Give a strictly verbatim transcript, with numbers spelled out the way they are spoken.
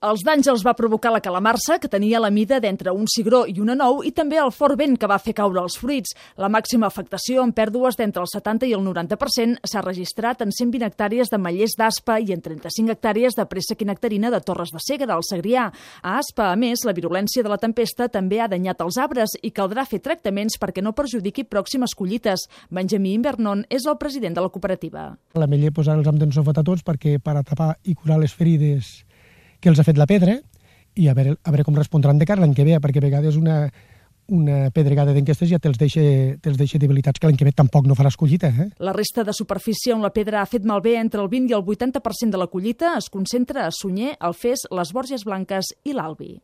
Els danys els va provocar la calamarsa, que tenia la mida d'entre un cigró i una nou, i també el fort vent que va fer caure els fruits. La màxima afectació, amb pèrdues d'entre el setanta i el noranta per cent, s'ha registrat en cent vint hectàrees de mallers d'Aspa i en trenta-cinc hectàrees de préssec i nectarina de Torres de Segre, al Segrià. A Aspa, a més, la virulència de la tempesta també ha danyat els arbres i caldrà fer tractaments perquè no perjudiqui pròximes collites. Benjamí Invernon és el president de la cooperativa. La meller posar els hem d'ensofat a tots perquè per a tapar i curar les ferides que els ha fet la pedra i a veure, a veure com respondran de cara l'any que ve, perquè a vegades una, una pedregada d'enquestes ja te'ls deixa, te'ls deixa debilitats que l'any que ve tampoc no faràs collita. Eh? La resta de superfície on la pedra ha fet malbé entre el vint i el vuitanta per cent de la collita es concentra a Sunyer, Alfés, les Borges Blanques i l'Albi.